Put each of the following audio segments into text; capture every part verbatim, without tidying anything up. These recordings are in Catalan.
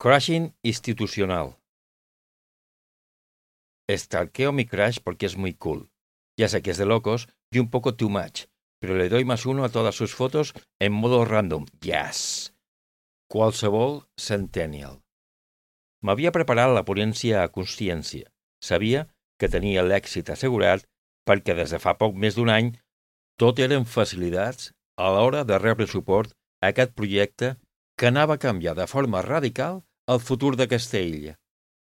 Crashing institucional. Stalkeo mi crush porque es muy cool. Ya sé que es de locos y un poco too much, pero le doy más uno a todas sus fotos en modo random. Yes! Qualsevol centennial. M'havia preparat la ponència a consciència. Sabia que tenia l'èxit assegurat perquè des de fa poc més d'un any tot eren facilitats a l'hora de rebre suport a aquest projecte que anava a canviar de forma radical el futur d'aquesta illa.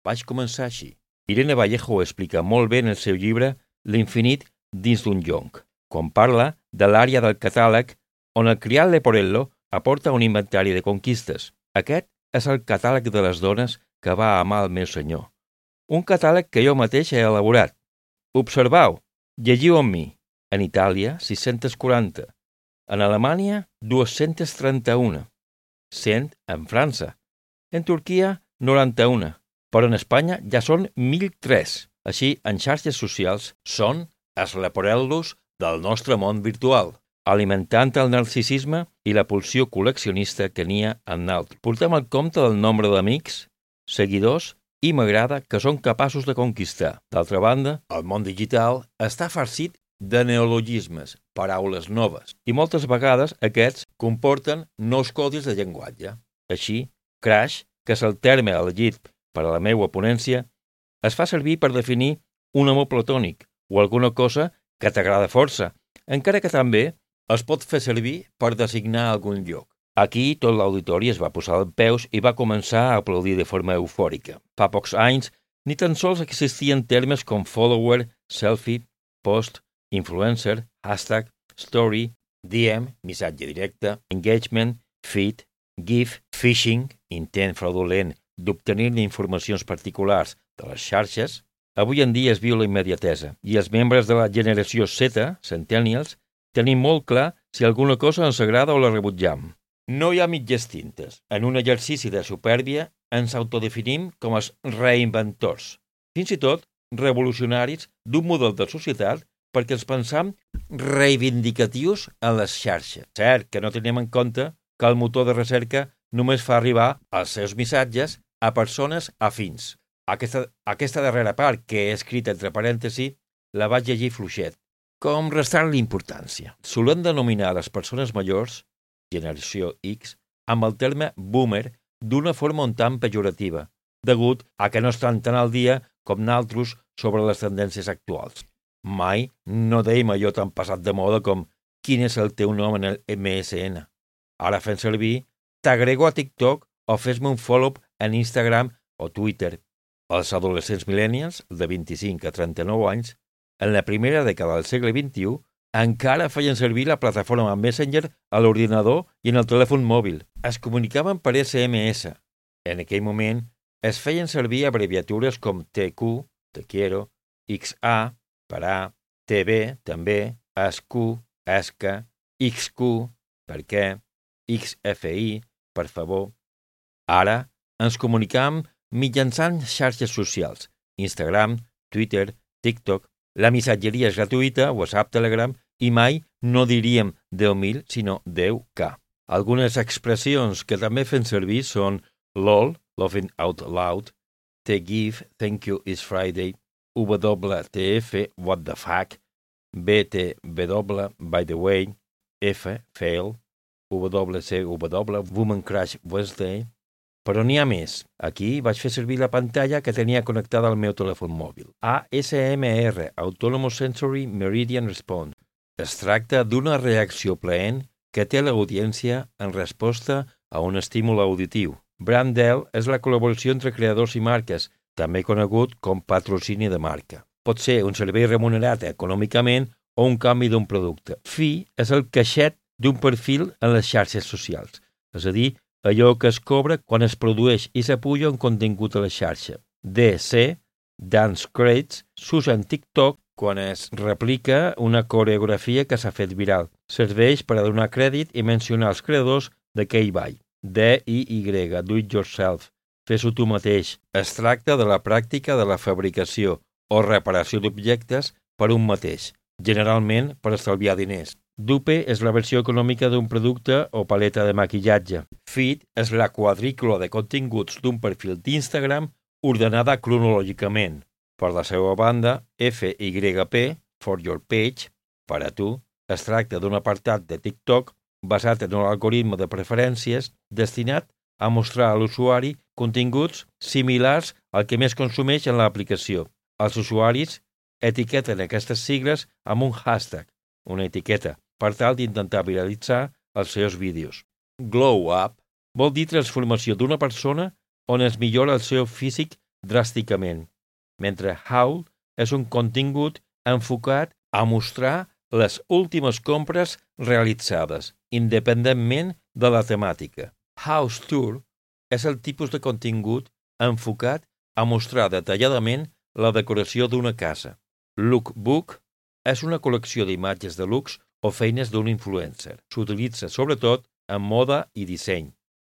Vaig començar així. Irene Vallejo ho explica molt bé en el seu llibre L'infinit dins d'un jonc, quan parla de l'àrea del catàleg on el criat Leporello aporta un inventari de conquistes. Aquest és el catàleg de les dones que va amar el meu senyor. Un catàleg que jo mateix he elaborat. Observau, llegiu amb mi. En Itàlia, sis-cents quaranta. En Alemanya, dos-cents trenta-un. cent en França. En Turquia, noranta-un. Però en Espanya ja són mil tres. Així, en xarxes socials són els leporellos del nostre món virtual, alimentant el narcisisme i la pulsió col·leccionista que n'hi ha en naltros. Portem el compte del nombre d'amics, seguidors i m'agrada que són capaços de conquistar. D'altra banda, el món digital està farcit de neologismes, paraules noves, i moltes vegades aquests comporten nous codis de llenguatge. Així, crush, que és el terme elegit per a la meva ponència, es fa servir per definir un amor platònic o alguna cosa que t'agrada força, encara que també es pot fer servir per designar algun lloc. Aquí tot l'auditori es va posar els peus i va començar a aplaudir de forma eufòrica. Fa pocs anys ni tan sols existien termes com follower, selfie, post, influencer, hashtag, story, D M, missatge directe, engagement, feed, GIF, phishing, intent fraudulent d'obtenir informacions particulars de les xarxes. Avui en dia es viu la immediatesa i els membres de la generació Z, centennials, tenim molt clar si alguna cosa ens agrada o la rebutjam. No hi ha mitges tintes. En un exercici de supèrbia ens autodefinim com els reinventors, fins i tot revolucionaris d'un model de societat perquè ens pensam reivindicatius en les xarxes. Cert que no tenim en compte que el motor de recerca només fa arribar els seus missatges a persones afins. Aquesta, aquesta darrera part, que he escrit entre parèntesi, la vaig llegir fluixet, com restant l'importància. Solem denominar les persones majors, generació X, amb el terme boomer d'una forma un tant pejorativa, degut a que no estan tan al dia com naltros sobre les tendències actuals. Mai no deim allò tan passat de moda com quin és el teu nom en el M S N. Ara fem servir t'agrego a TikTok o fes-me un follow en Instagram o Twitter. Els adolescents millennials, de vint-i-cinc a trenta-nou anys, en la primera dècada del segle vint-i-u, encara feien servir la plataforma Messenger a l'ordinador i en el telèfon mòbil. Es comunicaven per S M S. En aquell moment, es feien servir abreviatures com T Q, te quiero, X A, per A, T B, també, S Q, esca, X Q, per què, X F I, per favor. Ara ens comunicam mitjançant xarxes socials, Instagram, Twitter, TikTok. La missatgeria és gratuïta, WhatsApp, Telegram, i mai no diríem deu mil, sinó deu K. Algunes expressions que també fem servir són LOL, Laughing Out Loud, T GIF, Thank You It's Friday, W T F, What the Fuck, B T W, By the Way, F, Fail, W C W, Woman Crush Wednesday. Però n'hi ha més. Aquí vaig fer servir la pantalla que tenia connectada al meu telèfon mòbil. A S M R, Autonomous Sensory Meridian Response. Es tracta d'una reacció plaent que té l'audiència en resposta a un estímul auditiu. Brandel és la col·laboració entre creadors i marques, també conegut com patrocini de marca. Pot ser un servei remunerat econòmicament o un canvi d'un producte. Fee és el caixet d'un perfil en les xarxes socials, és a dir, allò que es cobra quan es produeix i s'apuja un contingut a la xarxa. D C, Dance Credits, s'usa en TikTok quan es replica una coreografia que s'ha fet viral. Serveix per a donar crèdit i mencionar els creadors d'aquell ball. D I Y, Do It Yourself, fes-ho tu mateix. Es tracta de la pràctica de la fabricació o reparació d'objectes per un mateix, generalment per estalviar diners. Dupe és la versió econòmica d'un producte o paleta de maquillatge. Feed és la quadrícula de continguts d'un perfil d'Instagram ordenada cronològicament. Per la seva banda, F Y P, For Your Page, per a tu, es tracta d'un apartat de TikTok basat en un algoritme de preferències destinat a mostrar a l'usuari continguts similars al que més consumeix en l'aplicació. Els usuaris etiqueten aquestes sigles amb un hashtag, una etiqueta, per tal d'intentar viralitzar els seus vídeos. Glow Up vol dir transformació d'una persona on es millora el seu físic dràsticament, mentre Haul és un contingut enfocat a mostrar les últimes compres realitzades, independentment de la temàtica. House Tour és el tipus de contingut enfocat a mostrar detalladament la decoració d'una casa. Lookbook és una col·lecció d'imatges de looks o feines d'un influencer. S'utilitza sobretot en moda i disseny.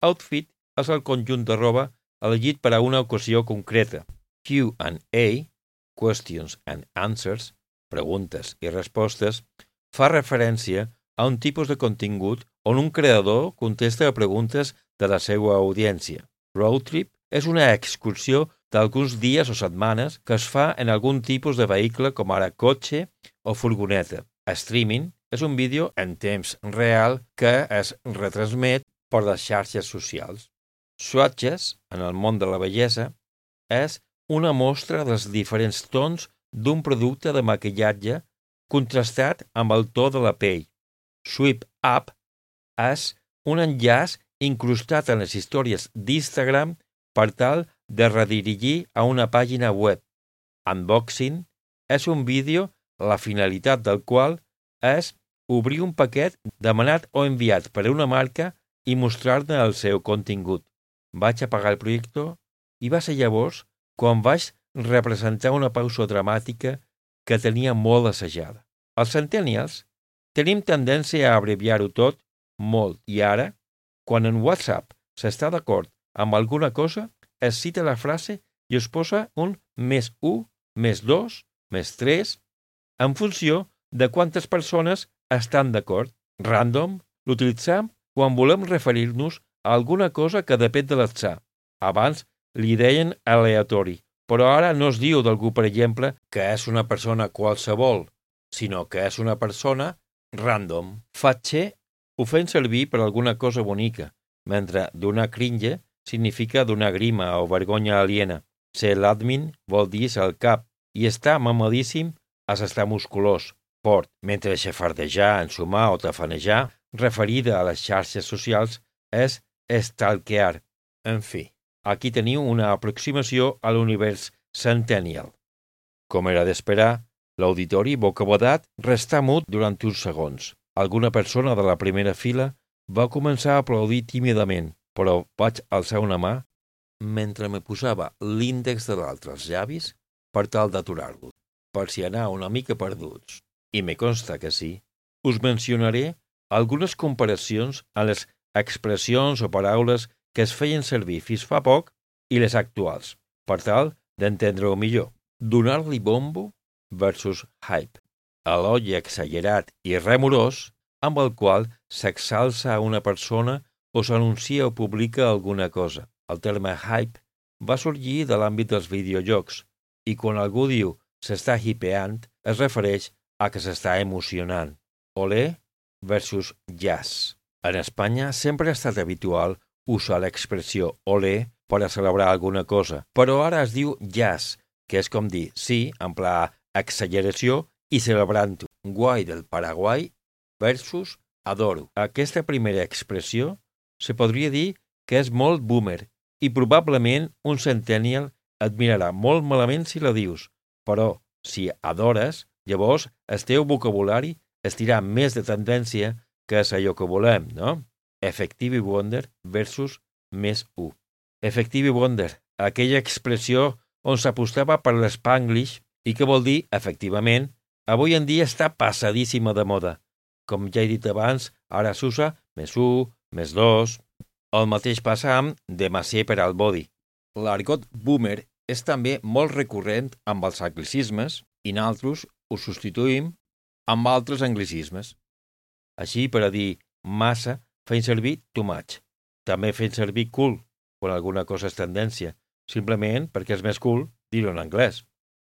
Outfit és el conjunt de roba elegit per a una ocasió concreta. Q and A, Questions and Answers, preguntes i respostes, fa referència a un tipus de contingut on un creador contesta a preguntes de la seva audiència. Road trip és una excursió d'alguns dies o setmanes que es fa en algun tipus de vehicle com ara cotxe o furgoneta. Streaming és un vídeo en temps real que es retransmet per les xarxes socials. Swatches, en el món de la bellesa, és una mostra dels diferents tons d'un producte de maquillatge contrastat amb el to de la pell. Swipe Up és un enllaç incrustat en les històries d'Instagram per tal de redirigir a una pàgina web. Unboxing és un vídeo la finalitat del qual és obrir un paquet demanat o enviat per una marca i mostrar-ne el seu contingut. Vaig apagar el projector i va ser llavors quan vaig representar una pausa dramàtica que tenia molt assajada. Els centennials tenim tendència a abreviar-ho tot molt i ara, quan en WhatsApp s'està d'acord amb alguna cosa, es cita la frase i es posa un més u, més dos, més tres, en funció de quantes persones estan d'acord. Random l'utilitzem quan volem referir-nos a alguna cosa que depèn de l'atzar. Abans li deien aleatori, però ara no es diu d'algú, per exemple, que és una persona qualsevol, sinó que és una persona random. Fatxe ho fem servir per alguna cosa bonica, mentre donar cringe significa donar grima o vergonya aliena. Ser l'admin vol dir ser el cap i estar mamadíssim és estar musculós, fort, mentre xafardejar, ensumar o tafanejar, referida a les xarxes socials, és stalkear. En fi, aquí teniu una aproximació a l'univers centennial. Com era d'esperar, l'auditori bocabadat restà mut durant uns segons. Alguna persona de la primera fila va començar a aplaudir tímidament, però vaig alçar una mà mentre me posava l'índex de l'altre als llavis per tal d'aturar-lo, per si anar una mica perduts. I me consta que sí. Us mencionaré algunes comparacions a les expressions o paraules que es feien servir fins fa poc i les actuals, per tal d'entendre-ho millor. Donar-li bombo versus hype. Elogi exagerat i remorós amb el qual s'exalça a una persona o s'anuncia o publica alguna cosa. El terme hype va sorgir de l'àmbit dels videojocs i quan algú diu s'està hipeant es refereix a que s'està emocionant. Olé versus jazz. En Espanya sempre ha estat habitual usar l'expressió olé per a celebrar alguna cosa, però ara es diu jazz, que és com dir sí, en pla exageració i celebrant-ho. Guai del Paraguai versus adoro. Aquesta primera expressió se podria dir que és molt boomer i probablement un centennial et mirarà molt malament si la dius, però si adores, llavors el teu vocabulari estirà més de tendència que és allò que volem, no? Effective wonder versus més u. Effective wonder, aquella expressió on s'apostava per l'Spanglish i que vol dir, efectivament, avui en dia està passadíssima de moda. Com ja he dit abans, ara s'usa més u, més dos. El mateix passa amb demasié per al body. L'argot boomer és també molt recurrent amb els anglicismes i nosaltres ho substituïm amb altres anglicismes. Així, per a dir massa, fent servir too much. També fent servir cool, quan alguna cosa és tendència, simplement perquè és més cool dir-ho en anglès.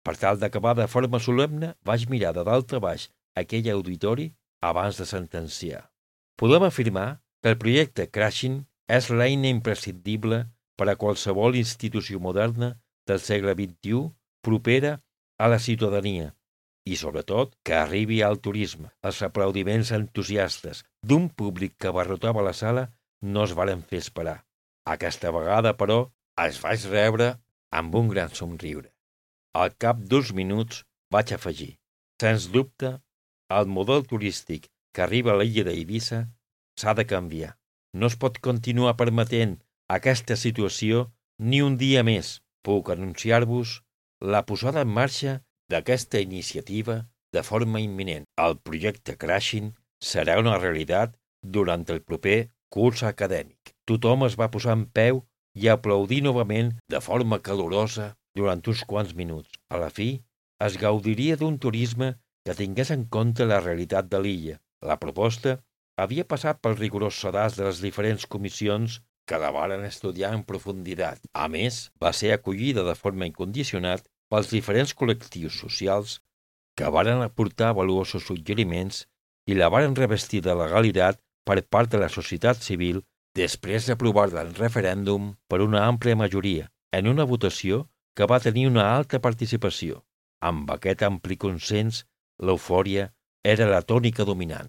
Per tal d'acabar de forma solemne, vaig mirar de dalt a baix aquell auditori abans de sentenciar. Podem afirmar que el projecte Crashing és l'eina imprescindible per a qualsevol institució moderna del segle vint-i-u propera a la ciutadania i, sobretot, que arribi al turisme. Els aplaudiments entusiastes d'un públic que abarrotava la sala no es varen fer esperar. Aquesta vegada, però, es vaig rebre amb un gran somriure. Al cap d'uns minuts vaig afegir: sens dubte, el model turístic que arriba a l'illa d'Eivissa s'ha de canviar. No es pot continuar permetent aquesta situació ni un dia més. Puc anunciar-vos la posada en marxa d'aquesta iniciativa de forma imminent. El projecte Crashing serà una realitat durant el proper curs acadèmic. Tothom es va posar en peu i aplaudir novament de forma calorosa durant uns quants minuts. A la fi, es gaudiria d'un turisme que tingués en compte la realitat de l'illa. La proposta havia passat pel rigorós sedàs de les diferents comissions que la varen estudiar en profunditat. A més, va ser acollida de forma incondicionat pels diferents col·lectius socials que varen aportar valuosos suggeriments i la varen revestir de legalitat per part de la societat civil després d'aprovar-la en referèndum per una àmplia majoria, en una votació que va tenir una alta participació. Amb aquest ampli consens, l'eufòria era la tònica dominant.